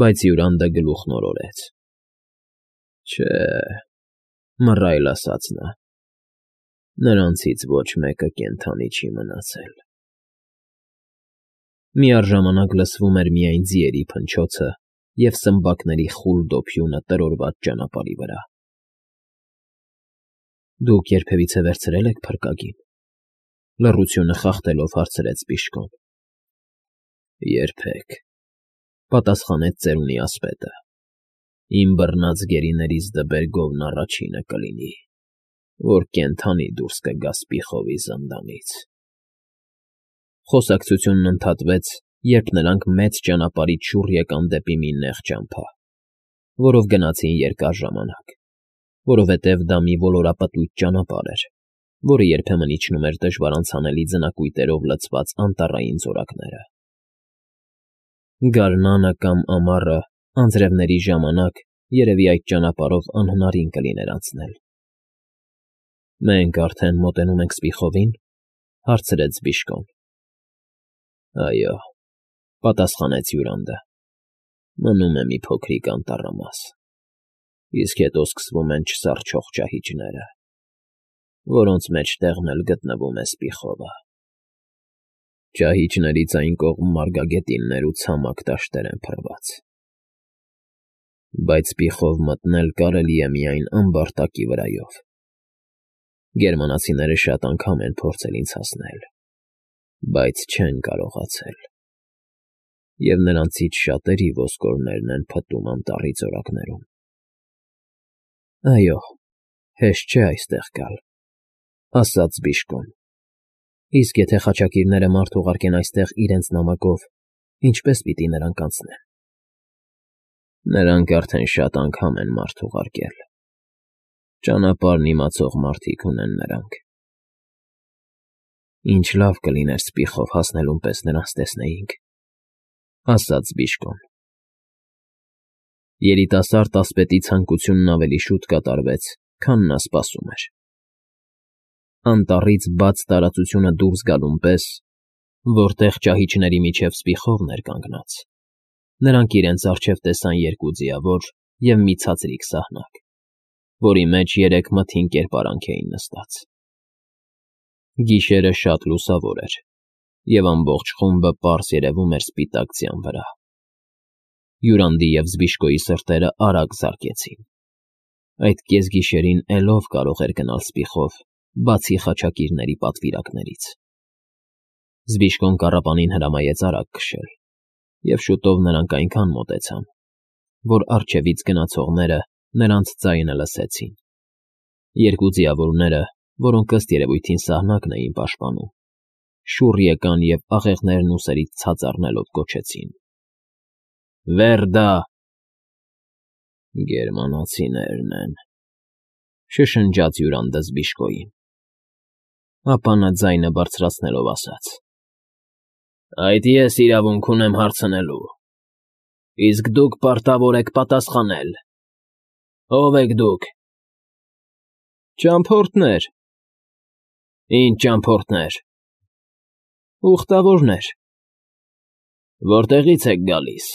Բայց Յուրանդը գլուխն օրորեց։ Չէ, մռայլ ասաց նա, նրանցից ոչ մեկը կենդանի չի մնացել։ Միառժամանակ լսվում էր միայն ձիերի փնչոցը և սմբակների խուլ դոփյունը տրորված ճանապարհի վրա։ Դուք երբևիցե վերցրել եք փրկագին, լռությունը խախտելով հարցրեց Բիժկոն։ Երբեք, պատասխանեց ծերունի ասպետը, իմ բռնած գերիներից դբեր գովն առաջինը կլինի, որ կենդանի դուրս կգա Սպիխովի զնդանից։ Խոսակցությունն ընդհատվեց, երբ նրանք մեծ ճանապարհից շուռ եկան դեպի մի նեղ ճամփա, որով գնացին երկար ժամանակ, որովհետև դա մի ոլորապտույտ ճանապարհ էր, որը երբեմն իջնում էր դժվար անցանելի ձնակույտերով լցված անտառային զորակները։ Գարնանը կամ ամառը, անձրևների ժամանակ, երևի այդ ճանապարհով անհնարին կլիներ անցնել։ Մենք արդեն մոտենում ենք Սպիխովի՞ն, հարցրեց Բիժկոն։ Այո, պատասխանեց Յուրանդը, մնում է մի փոքրիկ անտառամաս, իսկ հետո սկսվում են չսառչող ճահիճները, որոնց մեջտեղն էլ գտնվում է Սպիխովը։ Ճահիճներից այն կողմ մարգագետիններ ու ցամաք դաշտեր են փռված։ Բայց Սպիխով մտնել կարելի է միայն ամբարտակի վրայով։ Գերմանացիները շատ անգամ են փորձել ինձ հասնել, բայց չեն կարողացել։ Եվ նրանցից շատերի ոսկորներն են փտում անտառի զորակներում։ Այո, հեշտ չէ այստեղ գալ, ասաց Բիժկոն։ Իսկ եթե խաչակիրները մարդ ուղարկեն այստեղ իրենց նամակով, ինչպե՞ս պիտի նրանք անցնեն։ Նրանք արդեն շատ անգամ են մարդ ուղարկել։ Ճանապարհն իմացող մարդիկ ունեն նրանք։ Ինչ լավ կլիներ Սպիխով հասնելուն պես նրանց տեսնեինք, ասաց Բիժկոն։ Երիտասարդ ասպետի ցանկությունն ավելի շուտ կատարվեց, քան նա սպասում էր։ Անտառից բաց տարածությունը դուրս գալուն պես, որտեղ ճահիճների միջև Սպիխովն էր կանգնած, նրանք իրենց առջև տեսան երկու ձիավոր և մի ցածրիկ սահնակ, որի մեջ երեք մթին կերպարանք էին նստած։ Գիշերը շատ լուսավոր էր, և ամբողջ խումբը պարզ երևում էր սպիտակ ձյան վրա։ Յուրանդի և Զբիժկոյի սրտերը արագ զարկեցին։ Այդ կեսգիշերին էլով կարող էր գնալ Սպիխով, բացի խաչակիրների պատվիրակներից։ Զբիժկոն կառապանին հրամայեց արագ քշել, և շուտով նրանք այնքան մոտեցան, որ առջևից գնացողները նրանց ձայնը լսեցին։ Երկու ձիավորները, որոնք ըստ երևույթին սահնակն էին պաշտպանում, շուռ եկան և աղեղներն ուսերից ցած առնելով գոչեցին. Վերդա… Գերմանացիներն են, շշնջաց Յուրանդը Զբիժկոյին։ Ապա նա ձայնը բարձրացնելով ասաց. Այդ ես իրավունք ունեմ հարցնելու, իսկ դուք պարտավոր եք պատասխանել։ Ո՞վ եք դուք։ Ճամփորդներ։ Ինչ ճամփորդներ։ Ուխտավորներ։ Որտեղից եք գալիս։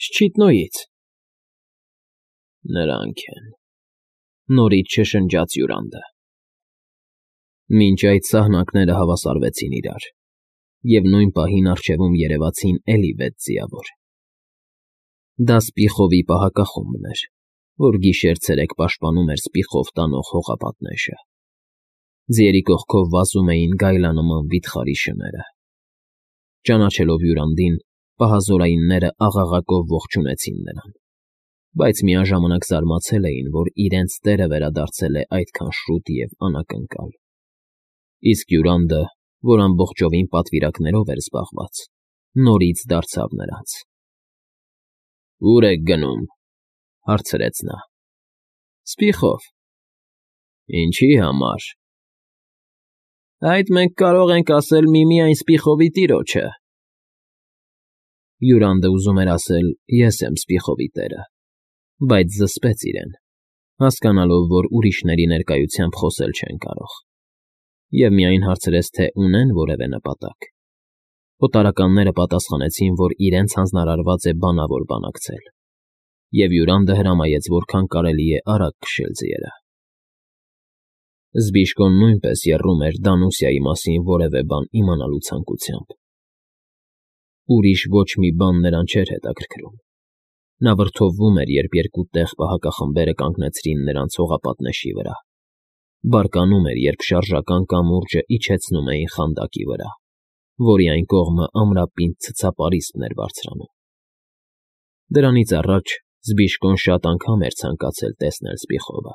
Շչիտնոյից։ Նրանք են, նորից շշնջաց Յուրանդը։ Մինչ այդ սահնակները հավասարվեցին իրար, և նույն պահին առջևում երևացին էլի 6 ձիավոր։ Դա Սպիխովի պահակախումբն էր, որ գիշեր֊ցերեկ պաշտպանում էր Սպիխով տանող հողապատնեշը։ Ձիերի կողքով վազում էին գայլանման վիթխարի շները։ Ճանաչելով Յուրանդին, պահազորայինները աղաղակով ողջունեցին նրան, բայց միաժամանակ զարմացել էին, որ իրենց տերը վերադարձել է այդքան շուտ և անակնկալ։ Իսկ Յուրանդը, որ ամբողջովին պատվիրակներով էր զբաղված, նորից դարձավ նրանց։ Ո՞ւր եք գնում, հարցրեց նա։ Սպիխով։ Ինչի համար։ Այդ մենք կարող ենք ասել միմիայն Սպիխովի տիրոջը։ Յուրանդը ուզում էր ասել. ես եմ Սպիխովի տերը, բայց զսպեց իրեն, հասկանալով, որ ուրիշների ներկայությամբ խոսել չեն կարող, և միայն հարցրեց, թե ունեն որևէ նպատակ։ Օտարականները պատասխանեցին, որ իրենց հանձնարարված է բանավոր բանակցել, և հյուրանդը հրամայեց որքան կարելի է արագ քշել ձիերը։ Զբիշկոն նույնպես եռում էր Դանուսիայի մասին որևէ բան իմանալու ցանկությամբ։ Ուրիշ ոչ մի բան նրան չէր հետաքրքրում։ Նա վրդովվում էր, երբ երկու տեղ պահակախմբերը կանգնեցրին նրանց հողապատնեշի վրա, բարկանում էր, երբ շարժական կամուրջը իջեցնում էին խանդակի վրա, որի այն կողմը ամրապինդ ցցապարիսպն էր բարձրանում։ Դրանից առաջ Զբիշկոն շատ անգամ էր ցանկացել տեսնել Սպիխովը,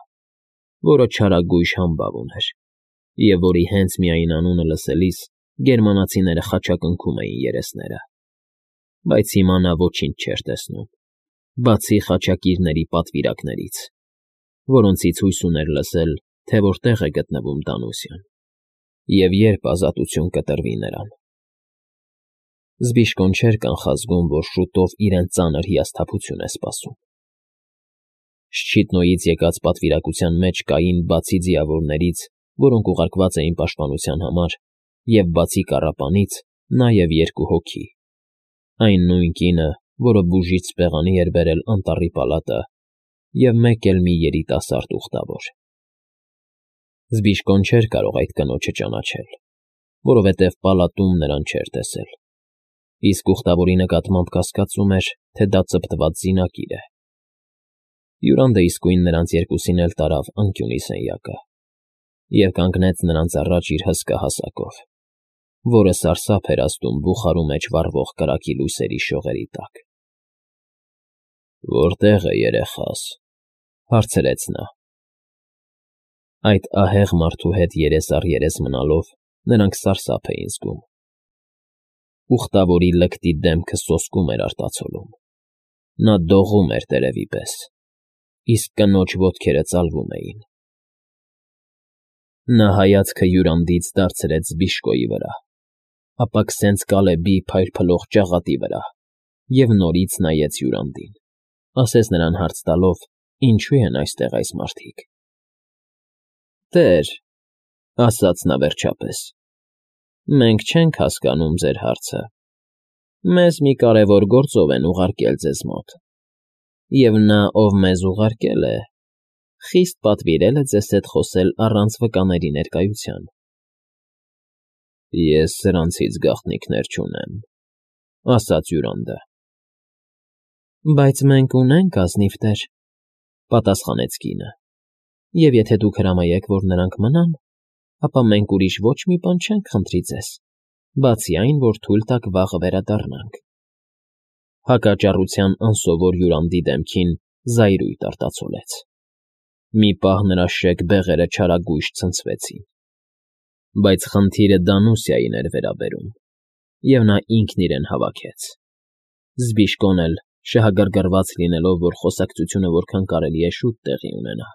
որը չարագույժ համբավ ուներ, և որի հենց միայն անունը լսելիս գերմանացիները խաչակնքում էին երեսները, բայց հիմա նա ոչինչ չէր տեսնում, բացի խաչակիրների պատվիրակներից, որոնցից հույս ուներ լսել, թե որտեղ է գտնվում Դանուսիան, և երբ ազատություն կտրվի նրան։ Զբիշկոն չէր կանխազգում, որ շուտով իրեն ծանր հիասթափություն է սպասում։ Շչիտնոյից եկած պատվիրակության մեջ կային բացի ձիավորներից, որոնք ուղարկված էին պաշտպանության համար, և բացի կառապանից, նաև երկու հոգի, այն նույն կինը, որը բուժիչ սպեղանի էր բերել անտառի պալատը, և մեկ էլ մի երիտասարդ ուխտավոր։ Զբիշկոն չէր կարող այդ կնոջը ճանաչել, որովհետև պալատում նրան չէր տեսել, իսկ ուխտավորի նկատմամբ կասկածում էր, թե դա ծպտված զինակիր է։ Հյուրանդը իսկույն նրանց երկուսին էլ տարավ անկյունի սենյակը և կանգնեց նրանց առաջ իր հսկա հասակով, որը սարսափ էր ազդում բուխարու մեջ վառվող կրակի լույսերի շողերի տակ։ «Որտե՞ղ է երեխաս,֊ հարցրեց նա։ Այդ ահեղ մարդու հետ երես առ երես մնալով նրանք սարսափ էին զգում։ Ուխտավորի լկտի դեմքը սոսկում էր արտացոլում։ Նա դողում էր տերևի պես, իսկ կնոջ ոտքերը ծալվում էին։ Նա հայացքը հյուրանդից դարձրեց Զբիշկոյի վրա, ապա քսենց Կալեբի փայլփլող ճաղատի վրա և նորից նայեց հյուրանդին, ասես նրան հարց տալով. «Ինչու են այստեղ այս մարդիկ»։ «Տեր,֊ ասաց նա վերջապես,֊ մենք չենք հասկանում ձեր հարցը։ Մեզ մի կարևոր գործով են ուղարկել ձեզ մոտ, և նա, ով մեզ ուղարկել է, խիստ պատվիրել է ձեզ հետ խոսել առանց վկաների ներկայության»։ «Ես սրանցից գաղտնիքներ չունեմ,֊ ասաց հյուրանդը։ Բայց մենք ունենք, ազնիվ տեր,֊ պատասխանեց կինը, և եթե դուք հրամայեք, որ նրանք մնան, ապա մենք ուրիշ ոչ մի բան չենք խնդրի ձեզ, բացի այն, որ թույլ տաք վաղը վերադառնանք։ Հակաճառության անսովոր հյուրանդի դեմքին զայրույթ արտացոլեց։ Մի պահ նրա շեկ բեղերը չարագույժ ցնցվեցին։ Բայց խնդիրը Դանուսիային էր վերաբերում, և նա ինքն իրեն հավաքեց։ Զբիշկոն էլ, շահագրգռված լինելով, որ խոսակցությունը որքան կարելի է շուտ տեղի ունենա,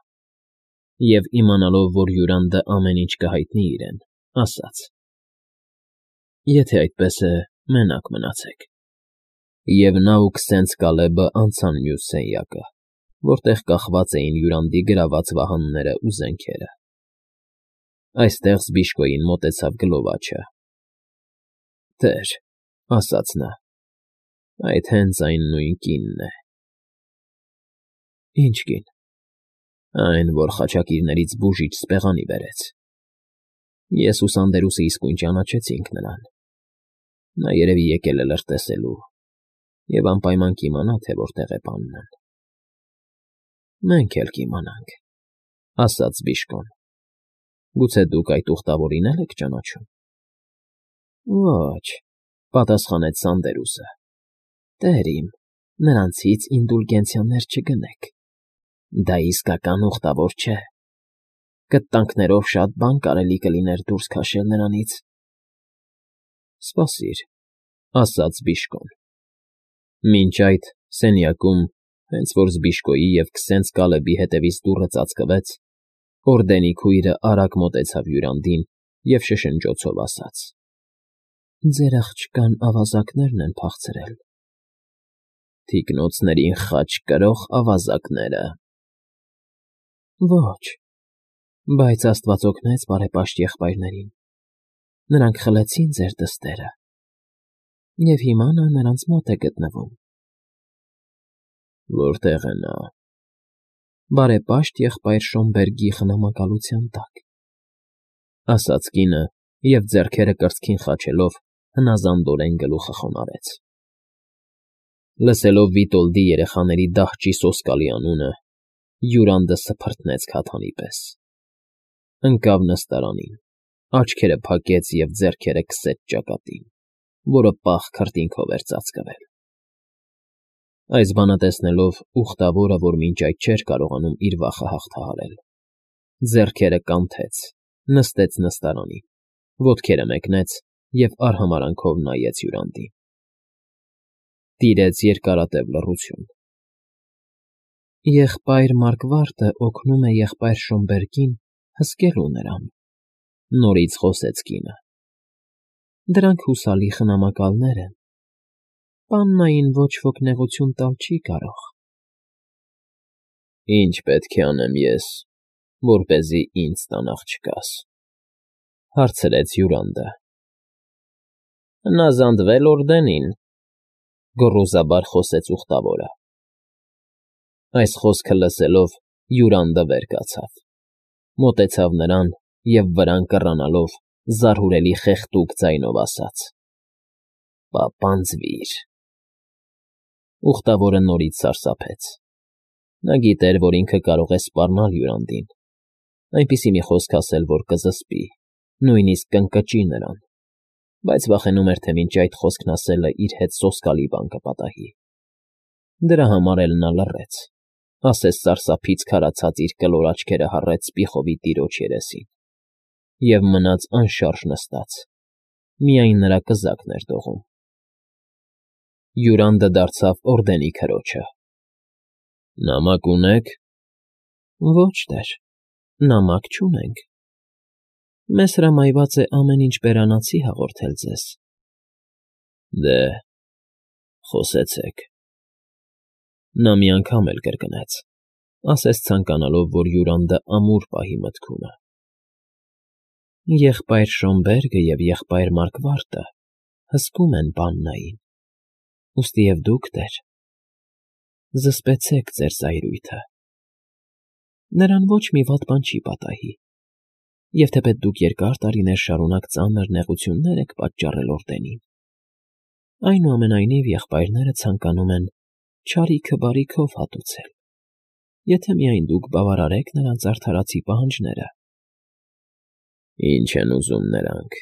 և իմանալով, որ հյուրանդը ամեն ինչ կհայտնի իրեն, ասաց. «Եթե այդպես է, մենակ մնացեք»։ Եվ նա ու քսենց Կալեբը անցան մյուս սենյակը, որտեղ կախված էին հյուրանդի գրաված վահանները ու զենքերը։ Այստեղ Զբիշկոյին մոտեցավ գլովաչը։ «Տեր,֊ ասաց նա,֊ այդ հենց այն նույն կինն է»։ «Ի՞նչ կին»։ «Այն, որ խաչակիրներից բուժիչ սպեղանի բերեց։ Ես ու Սանդերուսը իսկույն ճանաչեցինք նրան։ Նա երևի եկել է լրտեսելու և անպայման կիմանա, թե որտեղ է պաննն»։ «Մենք էլ կիմանանք,֊ ասաց Զբիշկոն։ Գուցե դուք այդ ուխտավորին էլ եք ճանաչում»։ «Ոչ,֊ պատասխանեց Սանդերուսը,֊ տեր իմ, նրանցից ինդուլգենցիաներ չգնեք։ Դա իսկական ուխտավոր չէ։ Կտանքներով շատ բան կարելի կլիներ դուրս քաշել նրանից»։ «Սպասիր,֊ ասաց Զբիշկոն։ Մինչ այդ սենյակում, հենց որ Զբիշկոյի և քսենց Կալեբի հետևից դուռը ծածկվեց, օրդենի քույրը արագ մոտեցավ հյուրանդին և շշնջոցով ասաց. «Ձեր աղջկան ավազակներն են փախցրել»։ «Թիկնոցներին խաչ կրող ավազակները»։ «Ոչ, բայց աստված օգնեց բարեպաշտ եղբայրներին, նրանք խլեցին ձեր դստերը»։ Եվ հիմա նա նրանց մոտ է գտնվում։ Որտե՞ղ է նա։ Բարեպաշտ եղբայր Շոմբերգի խնամակալության տակ, ասաց կինը և ձեռքերը կրծքին խաչելով հնազանդորեն գլուխը խոնարհեց։ Լսելով Վիտոլդի երեխաների դահճի սոսկալի անունը, Յուրանդը սփռտնեց քաթանի պես։ Ընկավ նստարանին, աչքերը փակեց և ձեռքերը քսեց ճակատին, որը պաղ քրտինքով էր ծածկվել։ Այս բանը տեսնելով, ուխտավորը, որ մինչ այդ չէր կարողանում իր վախը հաղթահարել, ձեռքերը կանթեց, նստեց նստարանին, ոտքերը մեկնեց և արհամարհանքով նայեց Յուրանդին։ Տիրեց երկարատև լռություն։ Եղբայր Մարգվարտը օգնում է եղբայր Շոմբերգին հսկելու նրան, նորից խոսեց կինը։ Դրանք հուսալի խնամակալներ են։ Պաննային ոչ ոք նեղություն տալ չի կարող։ Ինչ պետք է անեմ ես, որպեսզի ինձ տան աղջկաս, հարցրեց Յուրանդը։ Հնազանդվել Օրդենին, գոռոզաբար խոսեց ուխտավորը։ Այս խոսքը լսելով Յուրանդը վեր կացավ, մոտեցավ նրան և վրան կռանալով զարհուրելի խեղդուկ ձայնով ասաց. «Պապանձվիր»։ Ուխտավորը նորից սարսափեց։ Նա գիտեր, որ ինքը կարող է սպառնալ Յուրանդին, այնպիսի մի խոսք ասել, որ կզսպի, նույնիսկ կընկճի նրան, բայց վախենում էր, թե մինչ այդ խոսքն ասելը իր հետ սոսկալի բան կպատահի։ Դրա համար էլ նա լռեց, ասես սարսափից քարացած իր կլոր աչքերը հառեց Սպիխովի տիրոջ երեսին և մնաց անշարժ նստած, միայն նրա կզակն էր դողում։ Յուրանդը դարձավ Օրդենի քրոջը։ Նամակ ունե՞ք։ Ոչ, տեր, նամակ չունենք։ Մեզ հրամայված է ամեն ինչ բերանացի հաղորդել ձեզ։ Դե, խոսեցեք։ Նա մի անգամ էլ կրկնեց, ասես ցանկանալով, որ Յուրանդը ամուր պահի մտքումը։ Եղբայր Շոմբերգը և եղբայր Մարգվարտը հսկում են Պաննային, ուստի և դուք, տեր, զսպեցեք ձեր զայրույթը։ Նրան ոչ մի վատ բան չի պատահի, և թեպետ դուք երկար տարիներ շարունակ ծանր նեղություններ եք պատճառել Օրդենին, այնուամենայնիվ եղբայրները ցանկանում են չարիքը բարիքով հատուցել, եթե միայն դուք բավարարեք նրանց արդարացի պահանջները։ Ինչ են ուզում նրանք։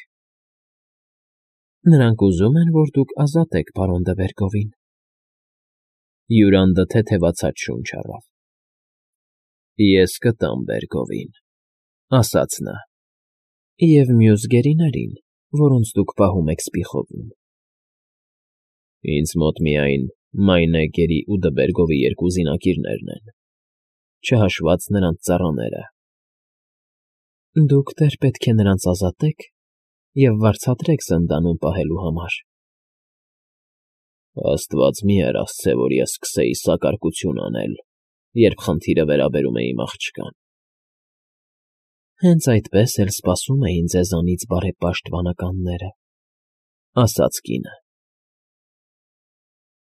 Նրանք ուզում են, որ դուք ազատեք պարոն դը Վերգովին։ Յուրանդը թեթևացած շունչ առավ։ Ես կտամ Բերգովին, ասաց նա։ Եվ մյուս գերիներին, որոնց դուք պահում եք Սպիխովում։ Ինձ մոտ միայն Մայնեգերի ու Դբերգովի երկու զինակիրներն են, չհաշված նրանց ծառաները։ Դուք, տեր, պետք է նրանց ազատեք և վարձատրեք զնդանում պահելու համար։ Աստված մի արասցե, որ ես սկսեի սակարկություն անել, երբ խնդիրը վերաբերում է իմ աղջկան։ Հենց այդպես էլ սպասում էին ձեզանից բարեպաշտ վանականները, ասաց կինը։